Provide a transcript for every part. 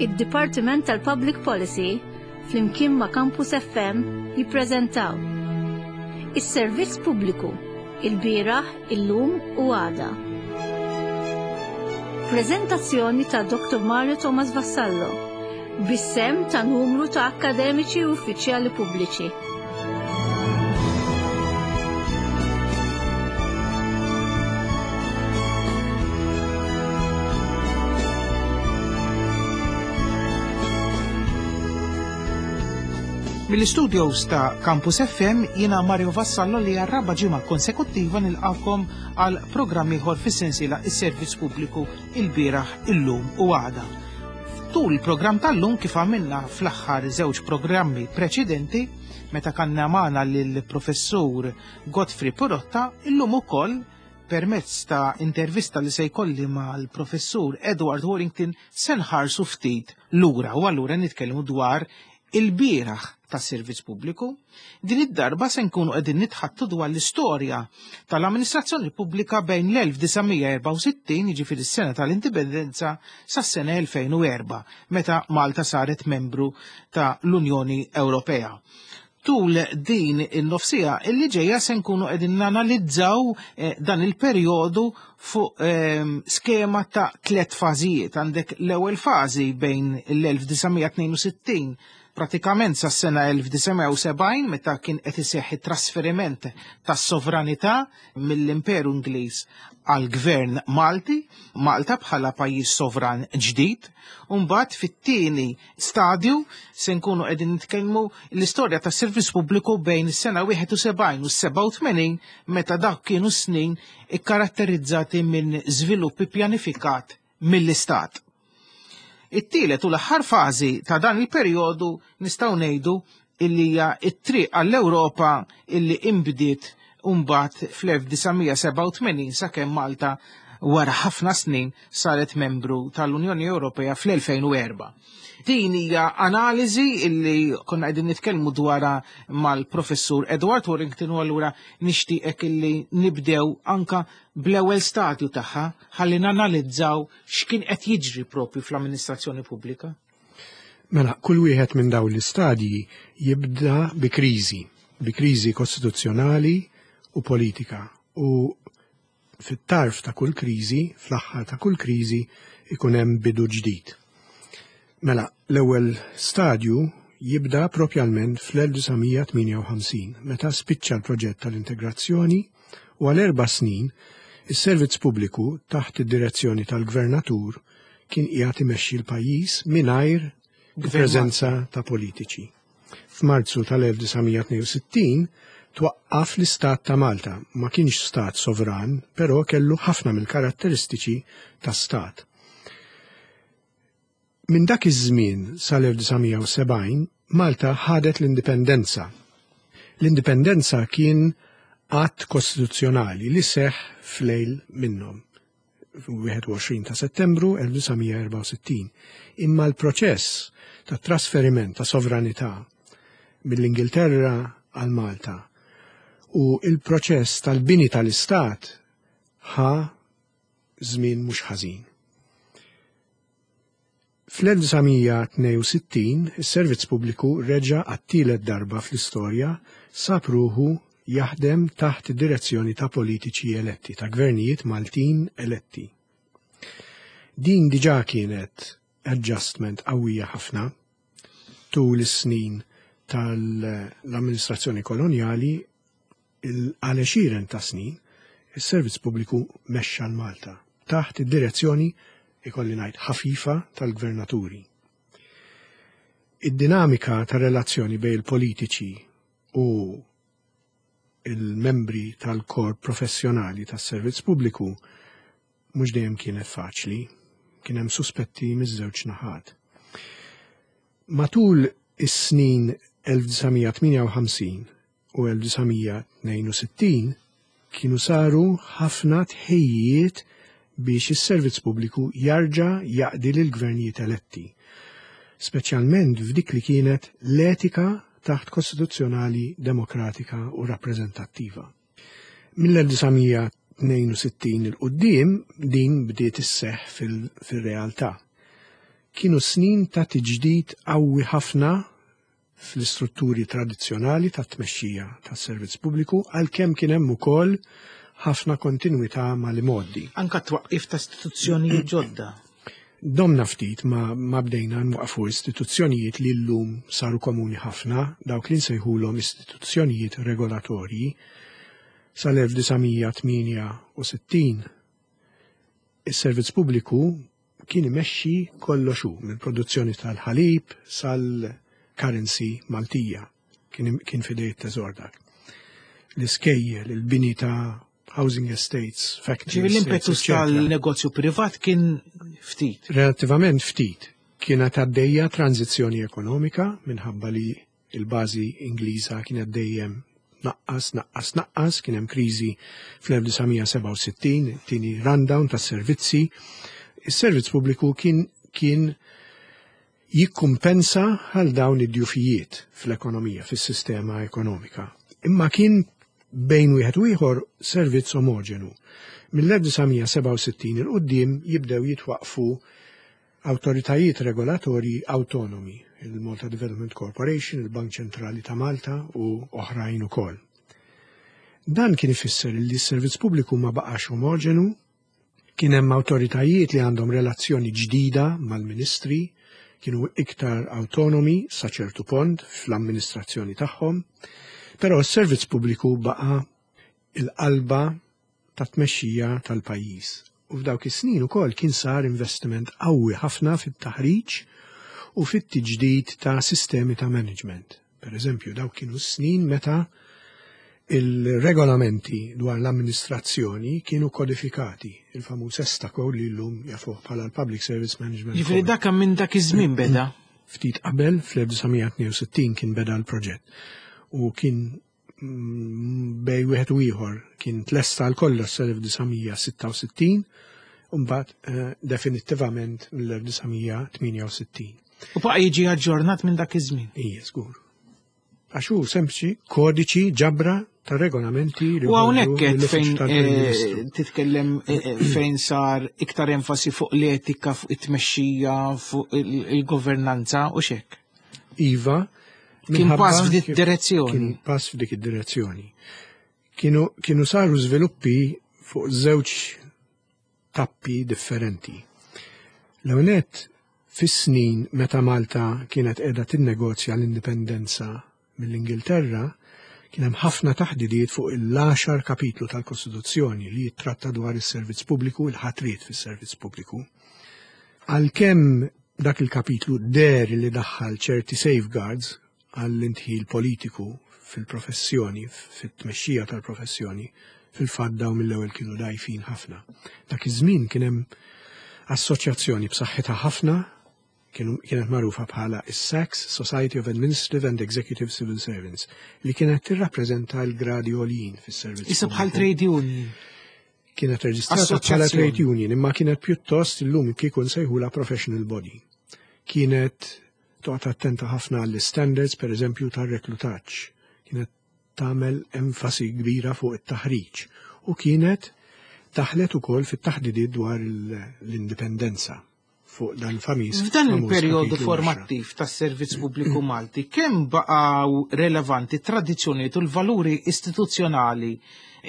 Id-Dipartiment tal-Public Policy flimkien ma' Campus FM jippreżentaw Is-Servizz Pubbliku, ilbieraħ, illum u għada. Preżentazzjoni ta' Dr. Mario Thomas Vassallo, bis-sehem ta' numru ta' akkademiċi u uffiċjali pubbliċi. Mill-istudios ta' Campus FM jiena Mario Vassallo li għar-raba' ġimgħa konsekuttiva nilqakom għal programm ieħor fis-sensiela is-Servizz Pubbliku il-bieraħ, illum u għada. Tul il-programm tal-lum kif għamilna fl-aħħar żewġ programmi preċedenti, meta kanna magħna lill-Professur Godfrey Purotta, illum ukoll permezz ta' intervista li se jkolli mal-Professur Edward Warrington se nħarsu ftit lura u allura nitkellmu dwar il-bieraħ tas-servizz pubbliku. Din id-darba se nkunu qegħdin nitħattu dwar l-istorja tal-amministrazzjoni pubblika bejn l-1964, jiġifieri s-sena tal-indipendenza, sas-sena 2004, meta Malta saret membru ta' l-Unjoni Ewropea. Tul din in-nofsija illi ġejja se nkunu qegħdin nanalizzaw eh, dan il-perjodu fuq ehm, skema ta' tliet fażijiet. Għandek l-ewwel fażi bejn l-1962 pratikament sa sena 1970 meta kien qed iseħħ it-trasferiment tas-sovranità mill-Imperu Ingliż għal gvern Malti, Malta bħala pajjiż sovran ġdid, u mbagħad fit-tieni stadju se nkunu qegħdin nitkellmu l-istorja tas-servizz pubbliku bejn is-sena 71 u 87 meta dak kienu snin ikkaratterizzati minn żvilupp ippjanifikat mill-istat. It-tielet u l-aħħar fażi ta' dan il-perjodu nistgħu ngħidu illi hija t-triq għall-Ewropa illi inbdiet mbagħad fl-1987 sakemm Malta wara ħafna snin saret membru tal-Unjoni Ewropea fl-2004. Din hija analiżi illi konna qegħdin nitkellmu dwarha mal-professur Edward Warrington u allura nixtieqek illi nibdew anka bl-ewwel stadju tagħha ħalli nanalizzaw x'kien qed jiġri propju fl-amministrazzjoni pubblika. Mela, kull wieħed minn dawn l-istadji jibda bi kriżi, bi kriżi kostituzzjonali u politika. U fit-tarf ta' kull kriżi, fl-aħħar ta' kull kriżi, ikun hemm bidu ġdid. Mela, l-ewwel stadju jibda propjalment fl-1958, meta spiċċa l-proġett tal-integrazzjoni u għal erba' snin is-servizz pubbliku taħt id-direzzjoni tal-gvernatur kien qiegħed imexxi l-pajjiż mingħajr il-preżenza ta' politiċi. F'Marzu tal-1962 twaqqaf l-Istat ta' Malta, ma kienx stat sovran, però kellu ħafna mill-karatteristiċi ta' stat. Minn dak iż-żmien sal-1970 Malta ħadet l-indipendenza. L-indipendenza kien att kostituzzjonali li seħħ f'lejl minnhom. 21 ta' Settembru 1964. Imma l-proċess ta' trasferiment ta' sovranità mill-Ingilterra għal Malta u il-proċess tal-bini tal-Istat ħa żmien mhux ħażin. Fl-1962 is-Servizz Pubbliku reġa' għat-tielet darba fl-istorja sab ruħu jaħdem taħt id-direzzjoni ta' politiċi eletti, ta' gvernijiet Maltin eletti. Din diġà kienet adjustment qawwija ħafna tul is-snin tal-amministrazzjoni kolonjali għal għexieren ta' snin is-Servizz Pubbliku mexxa l-Malta taħt id-direzzjoni ikolli ngħid ħafifa tal-gvernaturi. Id-dinamika ta' relazzjoni bejn il-politiċi u il-membri tal-korp professjonali tas-servizz pubbliku mhux dejjem kienet faċli, kien hemm suspetti miż-żewġ naħat. Matul is-snin 1958 u 1962 kienu saru ħafna tħejjijiet biex is-servizz pubbliku jarġa' jaqdi lill-gvernijiet eletti, speċjalment f'dik li kienet l-etika taħt kostituzzjonali demokratika u rappreżentattiva. Mill-1962 il quddiem din bdiet isseħħ fil-realtà. Kienu snin ta' tiġdid qawwi ħafna fl-istrutturi tradizzjonali tat-tmexxija tas-servizz pubbliku għalkemm kien hemm ukoll ħafna kontinwità mal-imgħoddi. Anka twaqqif ta' istituzzjonijiet ġodda. Domna ftit ma, ma bdejna nwaqfu istituzzjonijiet li llum saru komuni ħafna, dawk li nsejħulhom istituzzjonijiet regolatorji. Sal-1968 is-servizz pubbliku kien imexxi kollox hu, mill-produzzjoni tal-ħalib sal-currency Maltija. Kien, kien fidej it-teżor dak. L-iskejjel, il-bini ta' housing estates, factories. Ġifieri l-impetus tal-negozju privat kien ftit. Relattivament ftit. Kienet għaddejja tranzizzjoni ekonomika minħabba li Il-bażi Ingliża kienet dejjem tnaqqas, tnaqqas, tnaqqas, kien hemm kriżi fl-1967, it-tieni rundown tas-servizzi. Is-servizz pubbliku kien kien jikkumpensa għal dawn id-djufijiet fl-ekonomija, fis-sistema ekonomika. Imma kien bejn wieħed u ieħor servizz omoġenu. Mill-1967 il quddiem jibdew jitwaqfu awtoritajiet regolatorji awtonomi, il-Malta Development Corporation, il-Bank Ċentrali ta' Malta u oħrajn ukoll. Dan kien ifisser li s-servizz pubbliku ma baqax omoġenu, kien hemm awtoritajiet li għandhom relazzjoni ġdida mal-ministri, kienu iktar awtonomi sa ċertu pont fl-amministrazzjoni tagħhom, però s-servizz pubbliku baqa' il-qalba tat-tmexxija tal-pajjiż. U f'dawk is-snin ukoll kien sar investiment qawwi ħafna fit-taħriġ u fit-tiġdid ta' sistemi ta' management. Per eżempju, dawk kienu s-snin meta il-regolamenti dwar l-amministrazzjoni kienu kodifikati, il-famuż ESTA Code li llum jafuh bħala l-Public Service Management. Jiġifieri dak minn dak iż-żmien beda? Ftit qabel, fl-1962 kien beda l-proġett u kien bej wieħed u ieħor kien tlesta għal kollox sal-1966 u mbagħad eh, definittivament mill-1968. U baqa' jiġi aġġornat minn dak iż-żmien. Ija, żgur. Għax hu sempliċi kodiċi ġabra ta' regolamenti li U hawnhekk qed fejn eh, titkellem eh, fejn sar iktar enfasi fuq l-etika, fuq it-tmexxija, fuq il-governanza u xek. Iva, Kien pass f'dik direzzjoni. Kien pass f'dik id-direzzjoni. Kienu, kienu saru żviluppi fuq żewġ tappi differenti. L-ewwel fis-snin meta Malta kienet qiegħda tinnegozja l-indipendenza mill-Ingilterra, kien hemm ħafna taħdidiet fuq il-10 kapitlu tal-Kostituzzjoni li jittratta dwar is-servizz pubbliku, il-ħatriet fis-servizz pubbliku. Għalkemm dak il-kapitlu deher li daħħal ċerti safeguards għall-indħil politiku fil-professjoni, fit-tmexxija tal-professjoni, fil-fatt dawn mill-ewwel kienu dgħajfin ħafna. Dak iż-żmien kien hemm assoċjazzjoni b'saħħitha ħafna kienet magħrufa bħala is-SACS, Society of Administrative and Executive Civil Servants, li kienet tirrappreżenta l-gradi għoljin fis-servizz. Issa bħal trade union. Kienet reġistrata bħala trade union, imma kienet pjuttost illum kieku nsejħula professional body. Kienet toqgħod attenta ħafna għall-standards, per eżempju, tar-reklutaġġ. Kienet tagħmel enfasi kbira fuq it-taħriġ u kienet daħlet ukoll fit-taħdidiet dwar l-indipendenza fuq dan famis. F'dan il-perjodu formattiv tas-servizz pubbliku Malti, kemm baqgħu relevanti tradizzjonijiet u l-valuri istituzzjonali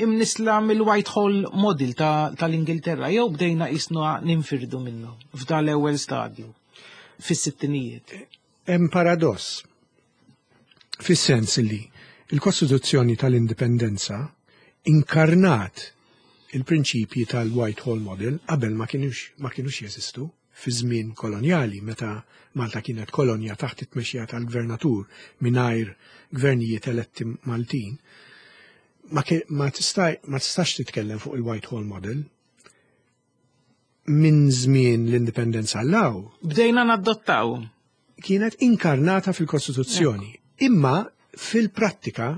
imnisla mill-Whitehall Model tal-Ingilterra jew bdejna qisna ninfirdu minnu f'dan l-ewwel stadju fis-sittinijiet? Hemm paradoss fis-sens li il-Kostituzzjoni tal-Indipendenza inkarnat il-prinċipji tal-Whitehall Model qabel ma kienux ma kienux jeżistu fi żmien kolonjali meta Malta kienet kolonja taħt it-tmexxija tal-gvernatur mingħajr gvernijiet eletti Maltin. Ma, ma, ma tistax titkellem fuq il-Whitehall Model minn żmien l-indipendenza l-law. Bdejna nadottaw. Kienet inkarnata fil-Kostituzzjoni. Imma fil-prattika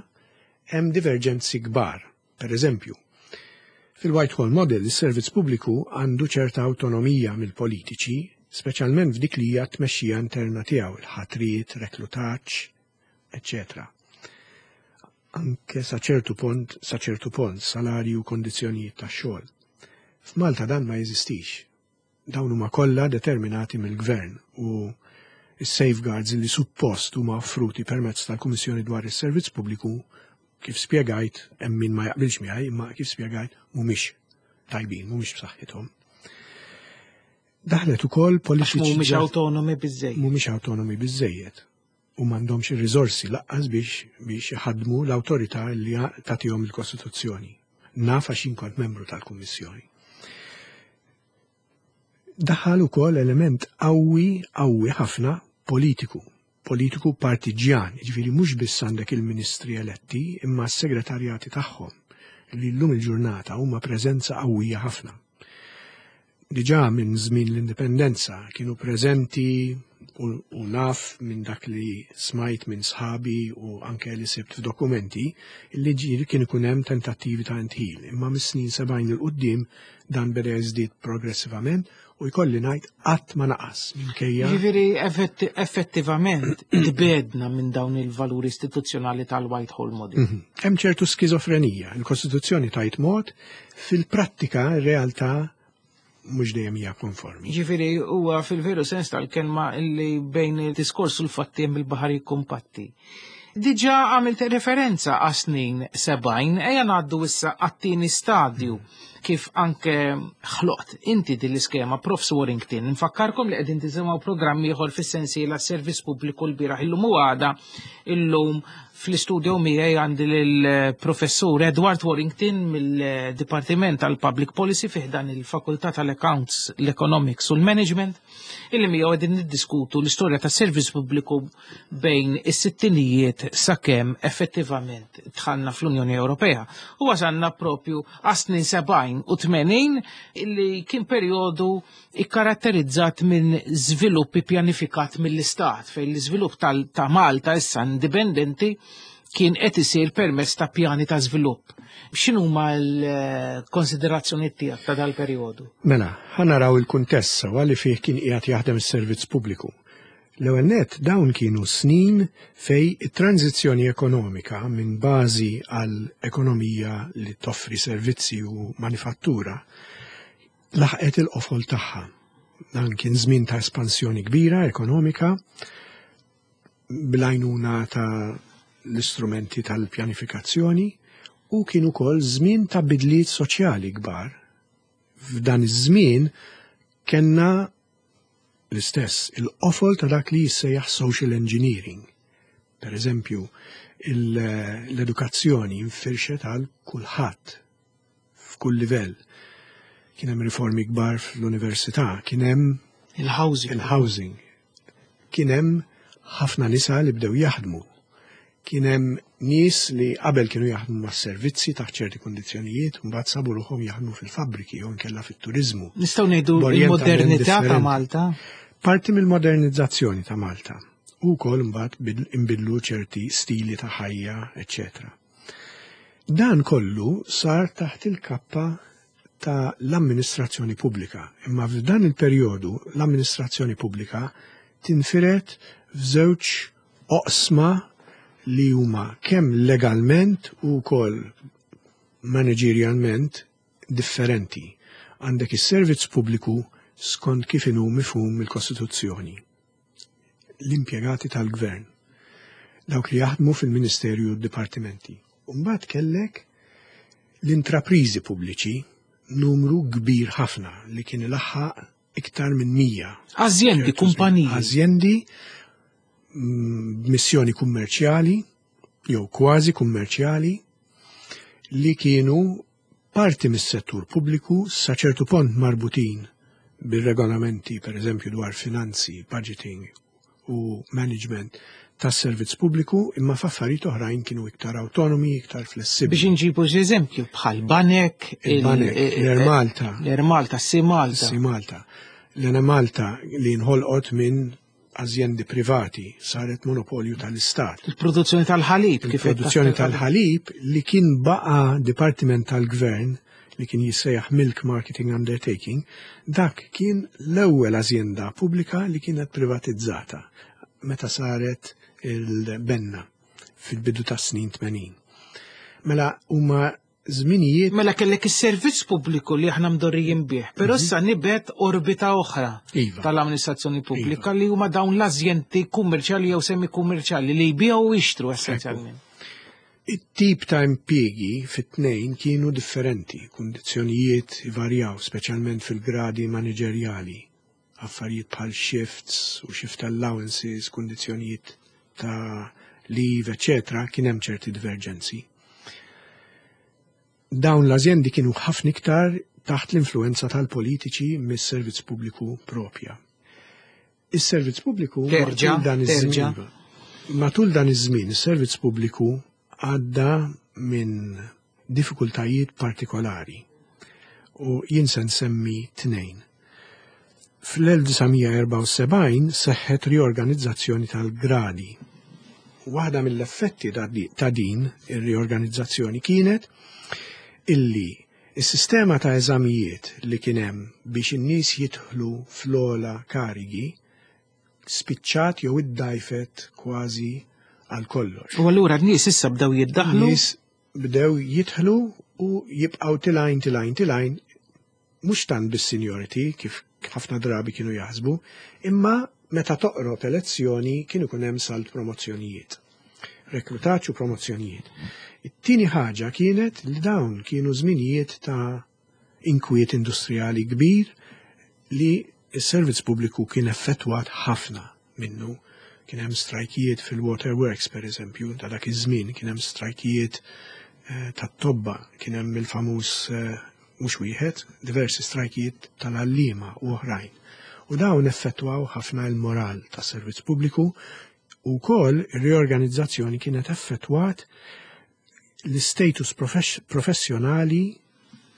hemm diverġenzi kbar. Per eżempju, fil-Whitehall Model is-servizz pubbliku għandu ċerta awtonomija mill-politiċi, speċjalment f'dik li hija t-tmexxija interna tiegħu, il-ħatriet, reklutaġġ, eċċetera. Anke sa ċertu pont, sa ċertu pont, salarju u kondizzjonijiet tax-xogħol. F'Malta dan ma jeżistix. Dawn huma kollha determinati mill-gvern u s-safeguards li suppost huma offruti permezz tal-Kummissjoni dwar is-Servizz Pubbliku kif spjegajt hemm min ma jaqbilx miegħi imma kif spjegajt mhumiex tajbin, mhumiex b'saħħithom. Daħlet ukoll politiċi. Mhumiex awtonomi biżejjed. Mhumiex awtonomi biżejjed u m'għandhomx ir-riżorsi laqqas biex biex iħaddmu l-awtorità li tagħtihom il-Kostituzzjoni. Naf għax jien kont membru tal-Kummissjoni. Daħal ukoll element qawwi qawwi ħafna politiku, politiku partiġjan, jiġifieri mhux biss għandek il-ministri eletti imma s-segretarjati tagħhom li llum il-ġurnata huma preżenza qawwija ħafna. Diġà minn żmien l-indipendenza kienu preżenti u, u naf minn dak li smajt minn sħabi u anke li sibt f'dokumenti li ġieli kien ikun hemm tentattivi ta' intħil. Imma mis-snin 70 il quddiem dan beda jiżdied progressivament u jkolli ngħid qatt ma naqas minkejja. Jiġifieri effettivament tbedna minn dawn il-valuri istituzzjonali tal-Whitehall Model. Mhm. Hemm ċertu skizofrenija. Il-Kostituzzjoni tajt mod, fil-prattika r-realtà mhux dejjem hija konformi. Ġifieri huwa fil-veru sens tal-kelma li bejn il-diskors u l-fatti hemm il-baħar jikkumpatti. Diġà għamilt referenza għas snin 70, ejja ngħaddu issa għat-tieni stadju kif anke ħloqt inti din l-iskema Profs Warrington. Nfakkarkom li qegħdin tisimgħu programm ieħor fis-sensiela Servizz Pubbliku l-bieraħ illum u għada illum fl-istudio miegħi għandi lill-Professur Edward Warrington mill-Dipartiment tal-Public Policy fih dan il-Fakultà tal-Accounts, l-Economics u l-Management illi miegħu qegħdin niddiskutu l-istorja tas-servizz pubbliku bejn is-sittinijiet sakemm effettivament dħalna fl-Unjoni Ewropea. U wasalna propju għas-snin 70 u 80 illi kien perjodu ikkaratterizzat minn żvilupp ippjanifikat mill-Istat fejn l-iżvilupp ta' Malta issa indipendenti kien qed isir permezz ta' pjani ta' żvilupp. X'inhuma l-konsiderazzjonijiet tiegħek ta' dal-perjodu? Mela, ħa naraw il-kuntest sewwa li fih kien qiegħed jaħdem is-servizz pubbliku. L-ewwel nett dawn kienu snin fejn it-tranżizzjoni ekonomika minn bażi għal ekonomija li toffri servizzi u manifattura laħqet il-qofol tagħha. Dan kien żmien ta' espansjoni kbira ekonomika bl-għajnuna ta' l-istrumenti tal-pjanifikazzjoni u kien ukoll żmien ta' bidliet soċjali kbar. F'dan iż-żmien kellna l-istess il-qofol ta' dak li jissejjaħ social engineering. Per eżempju, l-edukazzjoni infirxet għal kulħadd f'kull livell. Kien hemm riformi kbar fl-università, kien hemm il-housing. Il-housing. Kien hemm ħafna nisa li bdew jaħdmu. Kien hemm nies li qabel kienu jaħdmu mas-servizzi taħt ċerti kundizzjonijiet, mbagħad sabu ruħhom jaħdmu fil-fabbriki jew inkella fit-turiżmu. Nistgħu ngħidu l-modernità ta' Malta? Parti mill-modernizzazzjoni ta' Malta. U wkoll mbagħad inbidlu ċerti stili ta' ħajja, eċċetera. Dan kollu sar taħt il-kappa ta' l-amministrazzjoni pubblika. Imma f'dan il-perjodu l-amministrazzjoni pubblika tinfired f'żewġ oqsma li huma kemm legalment u wkoll managerialment differenti. Għandek is-servizz pubbliku skont kif inhu mifhum mill-Kostituzzjoni. L-impjegati tal-gvern, dawk li jaħdmu fil-ministerju u d-dipartimenti. U mbagħad kellek l-intrapriżi pubbliċi, numru kbir ħafna li kien ilaħħaq iktar minn 100. Azjendi, kumpaniji. Azjendi b'missjoni kummerċjali jew kważi kummerċjali li kienu parti mis-settur pubbliku sa ċertu pont marbutin bir-regolamenti, per eżempju, dwar finanzi, budgeting u management tas-servizz pubbliku, imma f'affarijiet oħrajn kienu iktar autonomi, iktar flessibbli. Biex inġibu xi eżempju bħal banek, il-banek, l-Air Malta, l-Air Malta, Sea Malta. Sea Malta. L-Air Malta li nħolqot minn azjendi privati saret monopolju tal-Istat. Il-produzzjoni tal-ħalib. Il-produzzjoni tal-ħalib li kien baqa dipartiment tal-gvern li kien jissejjaħ Milk Marketing Undertaking, dak kien l-ewwel azjenda pubblika li kienet privatizzata meta saret il-benna fil-bidu tas snin 80. Mela huma żminijiet. Mela kellek is-servizz pubbliku li aħna mdorrijin bih, però issa nibet orbita oħra iva. tal-amministrazzjoni pubblika iva. li huma dawn l-azjenti kummerċjali jew semi-kummerċjali li jbigħu u jixtru essenzjalment. It-tip ta' impjiegi fit-tnejn kienu differenti, kundizzjonijiet ivarjaw, speċjalment fil-gradi maniġerjali, affarijiet bħal shifts u shift allowances, kundizzjonijiet ta' leave, eccetera, kien hemm ċerti diverġenzi. Dawn l-azjendi kienu ħafna iktar taħt l-influenza tal-politiċi mis-servizz pubbliku propja. Is-servizz pubbliku terġa' dan iż-żmien. Matul dan iż-żmien is-servizz pubbliku għadda minn diffikultajiet partikolari u jien se nsemmi tnejn. Fl-1974 seħħet riorganizzazzjoni tal-gradi. Waħda mill-effetti ta' din ir-riorganizzazzjoni kienet illi Is-sistema ta' eżamijiet li kien hemm biex in-nies jidħlu fl-ogħla karigi spiċċat jew iddgħajfet kważi għal kollox. U allura n-nies issa bdew jiddaħħlu? Nies bdew jidħlu u jibqgħu tilgħin tilgħin tilgħin mhux tant bis-seniority kif ħafna drabi kienu jaħsbu, imma meta toqrob elezzjoni kien ikun hemm salt promozzjonijiet. Reklutaġġ u promozzjonijiet. It-tieni ħaġa kienet li dawn kienu żminijiet ta' inkwiet industrijali kbir li s-servizz pubbliku kien effettwat ħafna minnu. Kien hemm strajkijiet fil-waterworks per eżempju, ta' dak iż-żmien, kien hemm strajkijiet eh, tat-tobba, kien hemm il-famuż eh, mhux wieħed, diversi strajkijiet tal-għalliema u oħrajn. U dawn effettwaw ħafna il-moral tas-servizz pubbliku u wkoll ir-riorganizzazzjoni kienet effettwat l-istatus professjonali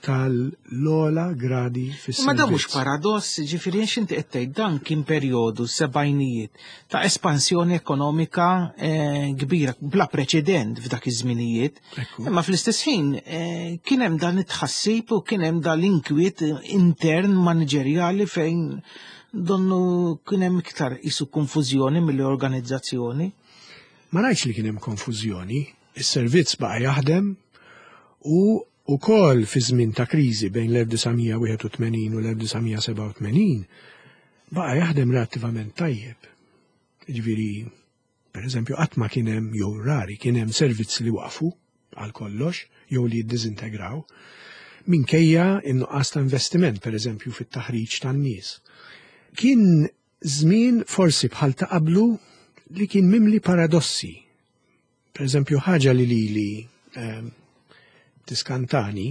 tal-ola gradi fis-servizz. Ma dan mhux paradoss, ġifieri għax inti qed tgħid dan kien perjodu sebgħinijiet ta' espansjoni ekonomika eh, kbira bla preċedent f'dak iż-żminijiet. Imma fl-istess ħin eh, kien hemm dan it-tħassib u kien hemm dan l-inkwiet intern maniġerjali fejn donnu kien hemm iktar isu konfużjoni mill-organizzazzjoni. Ma ngħidx li kien hemm konfużjoni, is-servizz baqa' jaħdem u wkoll fi żmien ta' kriżi bejn l-1981 u l-1987 baqa' jaħdem relattivament tajjeb. Ġifieri, per eżempju, qatt ma kien hemm jew rari kien hemm servizz li waqfu għal kollox jew li jiddiżintegraw minkejja in-nuqqas ta' investiment, per eżempju, fit-taħriġ tan-nies. Kien żmien forsi bħal ta' qablu li kien mimli paradossi. Per eżempju, ħaġa li lili eh, tiskantani,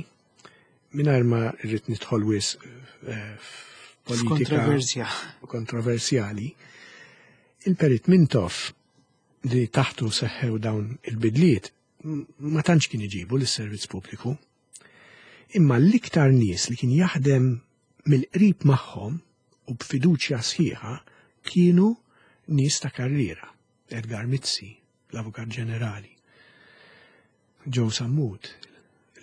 mingħajr ma rrid nidħol wisq eh, f'politika kontroversjali, il-Perit Mintoff li taħtu seħħew dawn il-bidliet ma tantx kien iġibu lis-servizz pubbliku. Imma l-iktar nies li kien jaħdem mill-qrib magħhom u b'fiduċja sħiħa kienu nies ta' karriera, Edgar Mizzi, l-Avukat Ġenerali, Joe Sammut,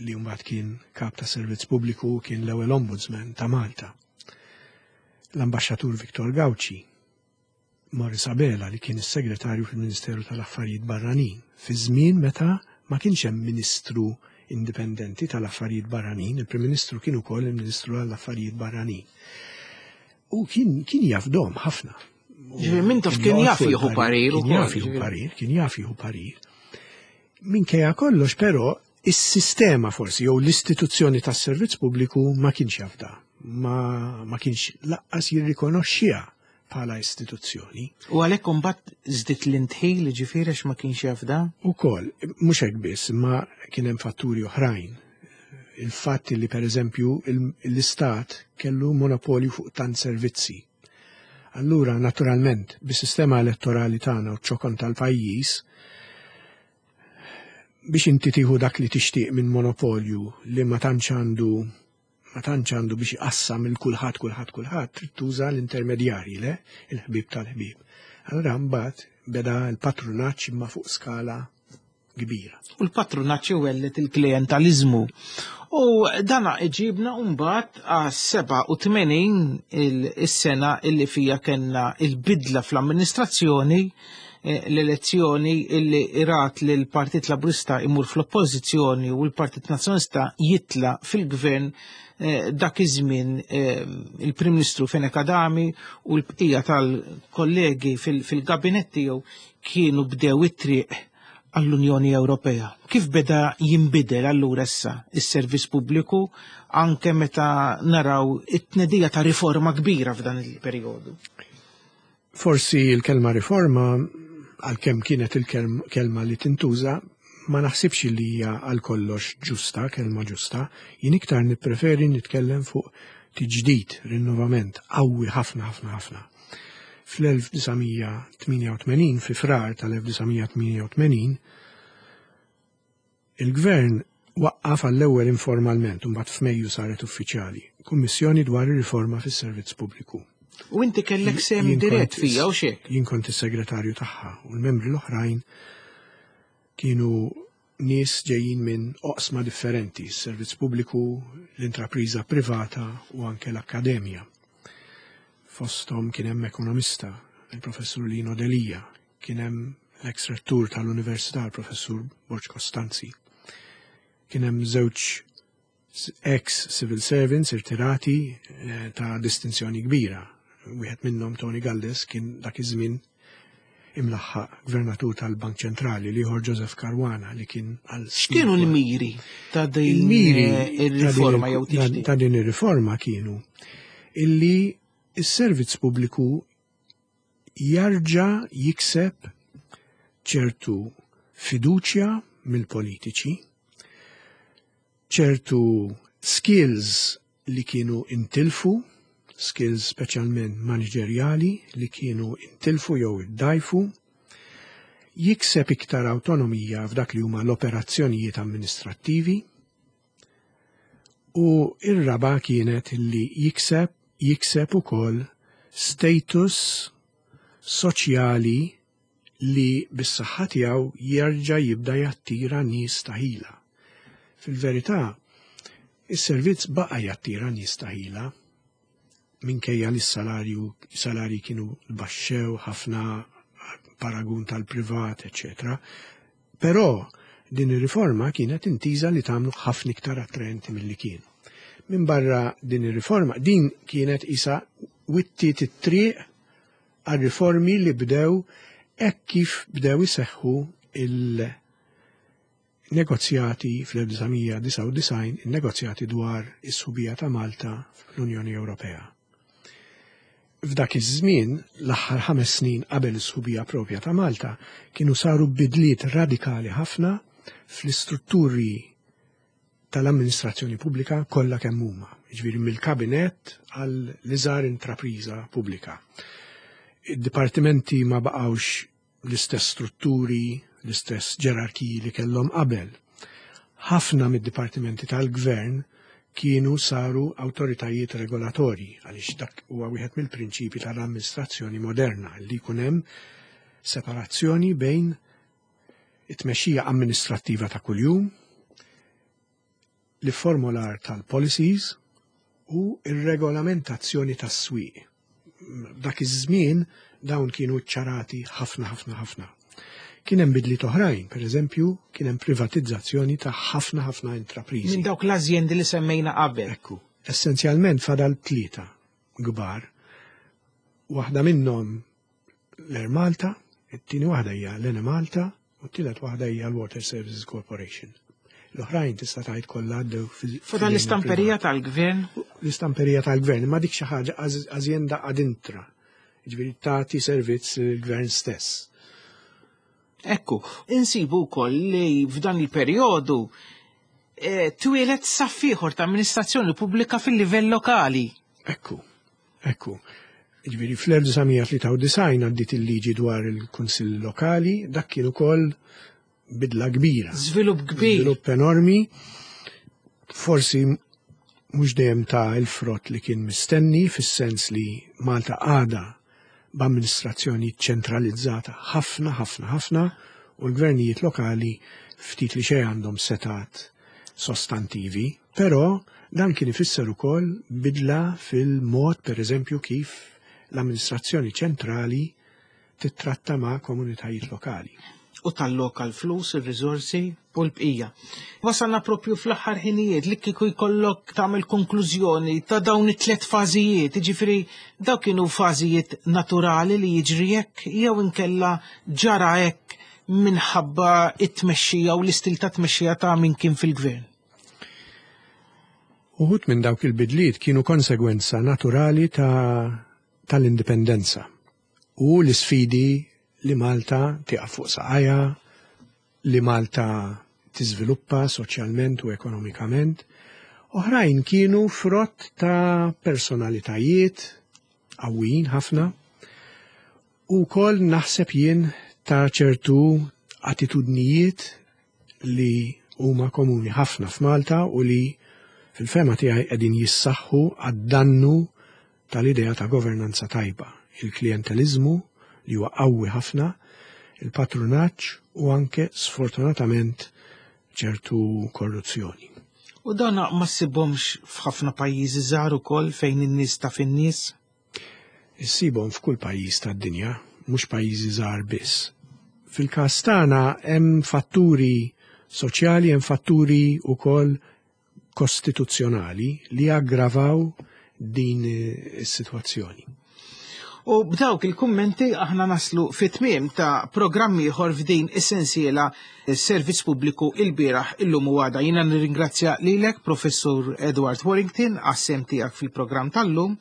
li mbagħad kien kap ta' servizz pubbliku u kien l-ewwel ombudsman ta' Malta, l-Ambaxxatur Victor Gauci, Maurice Abela li kien is-Segretarju fil-Ministeru tal-Affarijiet Barranin fi żmien meta ma kienx hemm Ministru indipendenti tal-Affarijiet Barranin, il-Prim Ministru kien ukoll il-Ministru għall-Affarijiet Barranin. U kien kien jafdom ħafna. Ġifieri Mintoff kien jaf jieħu parir Kien jaf jieħu parir, kien jaf jieħu parir. Minkejja kollox però is-sistema forsi jew l-istituzzjoni tas-servizz pubbliku ma kienx jafda, ma, ma kienx laqqas jirrikonoxxiha bħala istituzzjoni. U għalhekk imbagħad żdied l-intħil ġifieri għax ma kienx jaf da? Ukoll, mhux hekk biss, imma kien hemm fatturi oħrajn. Il-fatt li pereżempju l-Istat kellu monopolju fuq tant servizzi. Allura, naturalment, bis-sistema elettorali tagħna u ċ-ċokon tal-pajjiż, biex inti tieħu dak li tixtieq minn monopolju li ma tantx għandu ma tantx għandu biex iqassam il kulħadd kulħadd kulħadd trid tuża l-intermedjarji le il-ħbieb tal-ħbieb. Allura mbagħad beda l-patrunaġġ imma fuq skala kbira. U l-patrunaġġ iwelled il-klijentaliżmu. U dana iġibna mbagħad għas-87 is-sena illi fija kellna il-bidla fl-amministrazzjoni, l-elezzjoni illi rat li l-Partit Laburista imur fl-oppożizzjoni u l-Partit Nazzjonalista jitla fil-gvern. Dak iż-żmien il-Prim Ministru Fenech Adami u l-bqija tal-kollegi fil-gabinett tiegħu kienu bdew it-triq għall-Unjoni Ewropea. Kif beda jinbidel allura issa is-servizz pubbliku anke meta naraw it-tnedija ta' riforma kbira f'dan il-perjodu? Forsi l-kelma riforma, għalkemm kienet il-kelma li tintuża, ma naħsibx li hija għal kollox ġusta, kelma ġusta. Jien iktar nippreferi nitkellem fuq tiġdid, rinnovament, qawwi ħafna, ħafna, ħafna. Fl-1988, fi Frar tal-1988, il-gvern waqqaf għall-ewwel informalment, u mbagħad f'Mejju saret uffiċjali, kummissjoni dwar ir-riforma fis-servizz pubbliku. U inti kellek sehem dirett fija u xek? Jien kont is-segretarju tagħha u l-membri l-oħrajn kienu nies ġejjin minn oqsma differenti, s-servizz pubbliku, l-intrapriża privata u anke l-akkademja. Fosthom kien hemm ekonomista, il-professur Lino Delia, kien hemm l-ex rettur tal-Università, il-professur Borg Costanzi. Kien hemm żewġ ex civil servants irtirati ta' distinzjoni kbira. Wieħed minnhom, Tony Galdes, kien dak iż-żmien imlaħħaq gvernatur tal-Bank Ċentrali, l-ieħor Joseph Caruana li kien għal X'kienu l-miri ta' din Il-miri ir-riforma jew tiġdid? ta' din ir-riforma kienu illi s-servizz pubbliku jarġa' jikseb ċertu fiduċja mill-politiċi, ċertu skills li kienu intilfu, skills speċjalment manageriali li kienu intilfu jew iddajfu, jikseb iktar autonomija f'dak li huma l-operazzjonijiet amministrattivi, u ir-raba kienet li jikseb ukoll status soċjali li bis-saħħa tiegħu jerġa' jibda jattira nies ta' ħila. Fil-verità, is-servizz baqa' jattira nies ta' ħila minkejja li s-salarji kienu baxxew ħafna paragun tal-privat, eċċetera. Però din ir-riforma kienet intiża li tagħmlu ħafna iktar attraenti milli kienu. Min barra din ir-riforma, din kienet isa wittiet it-triq għal-riformi li bdew hekk kif bdew iseħħu il-negozjati fl-1999, il-negozjati dwar is-sħubija ta' Malta fl-Unjoni Ewropea. F'dak iż-żmien, l-aħħar 5 snin qabel is-sħubija propja ta' Malta, kienu saru bidliet radikali ħafna fl-istrutturi tal-amministrazzjoni pubblika kollha kemm huma, jiġifieri mill-kabinett għal l-iżgħar intrapriża pubblika. Id-dipartimenti ma baqgħux l-istess strutturi, l-istess ġerarkiji li kellhom qabel. Ħafna mid-dipartimenti tal-gvern kienu saru awtoritajiet regolatorji, għaliex dak huwa wieħed mill-prinċipi tal-amministrazzjoni moderna li jkun hemm separazzjoni bejn it-tmexxija amministrattiva ta' kuljum, l-formular tal-policies u ir-regolamentazzjoni tas-swieq. Dak iż-żmien dawn kienu ċarati ħafna, ħafna, ħafna. Kien hemm bidliet oħrajn, per eżempju, kien hemm privatizzazzjoni ta' ħafna, ħafna intrapriżi. Minn dawk l-azjendi li semmejna qabel. Ekku, essenzjalment fadal 3 kbar. Waħda minnhom l-Air Malta, it-tieni waħda hija l-Enemalta u t-tielet waħda hija l-Water Services Corporation. L-oħrajn tista' tgħid kollha għaddew Fadal l-istamperija fil-privat. tal-gvern? L-istamperija tal-gvern, ma dik xi ħaġa azjenda ad intra. Jiġifieri tagħti servizz lill-gvern stess. Ekku, insibu wkoll li f'dan il-perjodu twieled saff ieħor ta' amministrazzjoni pubblika fil-livell lokali. Ekku, ekku. Jiġifieri fl-1993 għaddiet il-liġi dwar il-Kunsill Lokali, dak kien ukoll bidla kbira. Żvilupp kbir. Żvilupp enormi. Forsi mhux dejjem ta' il-frott li kien mistenni, fis-sens li Malta għadha b'amministrazzjoni ċentralizzata ħafna, ħafna, ħafna, U l-gvernijiet lokali ftit li xejn għandhom setat sostantivi, però dan kien ifisser ukoll bidla fil-mod pereżempju kif l-amministrazzjoni ċentrali tittratta ma' komunitajiet lokali. U talloka l-flus, ir-riżorsi u l-bqija. Wasalna propju fl-aħħar ħinijiet li kieku jkollok tagħmel konklużjoni ta' dawn it-tlet fażijiet, jiġifieri daw kienu fażijiet naturali li jiġri hekk jew inkella ġara hekk minħabba it-tmexxija u l-istil ta' tmexxija ta' min kien fil-gvern. Uħud minn dawk il-bidliet kienu konsegwenza naturali ta' tal-indipendenza u l-isfidi li Malta tieqaf fuq saqajha, li Malta tiżviluppa soċjalment u ekonomikament. Oħrajn kienu frott ta' personalitajiet qawwijin ħafna u wkoll naħseb jien ta' ċertu attitudnijiet li huma komuni ħafna f'Malta u li fil-fehma tiegħi qegħdin jissaħħu għad-dannu tal-idea ta' governanza tajba, il-klijenteliżmu li huwa qawwi ħafna, il-patrunaġġ u anke sfortunatament ċertu korruzzjoni. U dan ma ssibhomx f'ħafna pajjiżi żgħar ukoll fejn in-nies taf in-nies? Issibhom f'kull pajjiż tad-dinja, mhux pajjiżi żgħar biss. Fil-każ tagħna hemm fatturi soċjali, hemm fatturi wkoll kostituzzjonali li aggravaw din is-sitwazzjoni. U b'dawk il-kummenti aħna naslu fit-tmiem ta' programm ieħor f'din is-sensiela Servizz Pubbliku il-bieraħ illum u għada. Jiena nirringrazzja lilek Professur Edward Warrington għas-sehem tiegħek fil-programm tal-lum,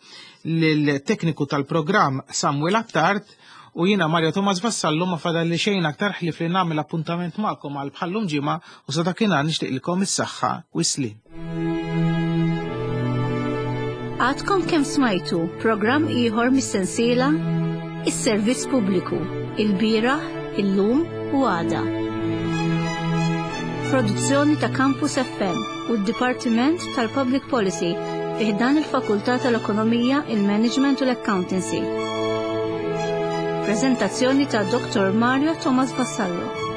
lill-tekniku tal-programm Samuel Attard u jiena Mario Thomas Vassallo ma fadalli xejn aktar ħlief li nagħmel appuntament magħkom għal bħallum ġimgħa u sa dakinhar nixtieqilkom is-saħħa u s-sliem. Għadkom kemm smajtu programm ieħor mis-sensiela Is-Servizz Pubbliku, il-bieraħ, illum u għada. Produzzjoni ta' Campus FM u d-Dipartiment tal-Public Policy fi ħdan il-Fakultà tal-Ekonomija, il-Management u l-Accountancy. Prezentazzjoni ta' Dr. Mario Thomas Vassallo.